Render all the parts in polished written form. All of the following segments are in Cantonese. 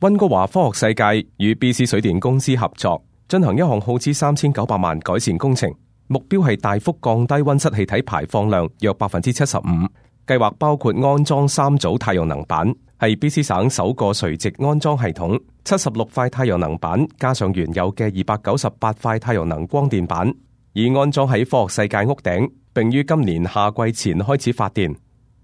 溫哥華科學世界與 BC 水電公司合作，進行一項耗資3900萬改善工程，目標係大幅降低溫室氣體排放量約 75%。計劃包括安裝3組太陽能板，係 BC 省首個垂直安裝系統，76塊太陽能板加上原有嘅298塊太陽能光電板，已安裝喺科學世界屋頂，並於今年夏季前開始發電。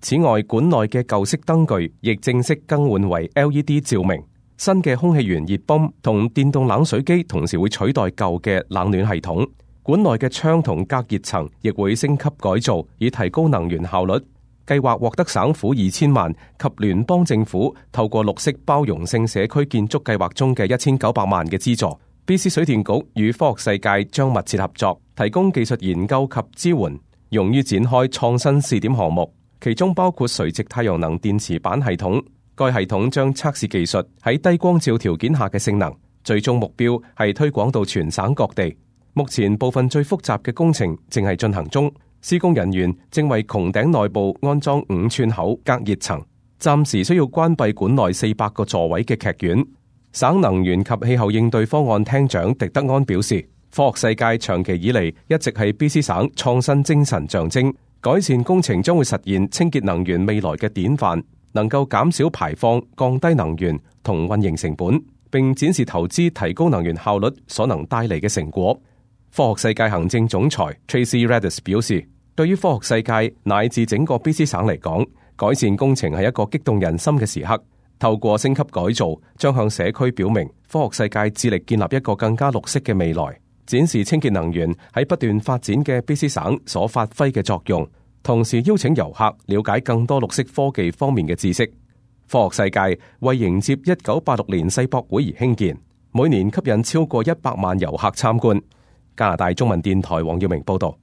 此外，館內嘅舊式燈具亦正式更換為 LED 照明。新嘅空氣源熱泵同電動冷水機同時會取代舊嘅冷暖系統。館內嘅窗同隔熱層亦會升級改造，以提高能源效率。計劃獲得省府2000萬及聯邦政府透過綠色包容性社區建築計劃中嘅1900萬嘅資助。BC 水電局與科學世界將密切合作，提供技術研究及支援，用於展開創新試點項目，其中包括垂直太陽能電池板系統。該系統將測試技術喺低光照條件下嘅性能，最終目標係推廣到全省各地。目前部分最複雜嘅工程正係進行中，施工人員正為穹頂內部安裝5寸厚隔熱層，暫時需要關閉館內400個座位嘅劇院。省能源及氣候應對方案廳長狄德安表示，科學世界長期以嚟一直係 BC 省創新精神象徵，改善工程將會實現清潔能源未來嘅典範，能夠減少排放、降低能源同運營成本，並展示投資提高能源效率所能帶嚟嘅成果。科學世界行政總裁 Tracy Radis 表示，對於科學世界乃至整個 BC 省嚟講，改善工程係一個激動人心嘅時刻。透過升級改造，將向社區表明科學世界致力建立一個更加綠色嘅未來，展示清潔能源喺不斷發展嘅 BC 省所發揮嘅作用。同時邀請遊客了解更多綠色科技方面嘅知識。科學世界為迎接1986年世博會而興建，每年吸引超過100萬遊客參觀。加拿大中文電台黃耀明報道。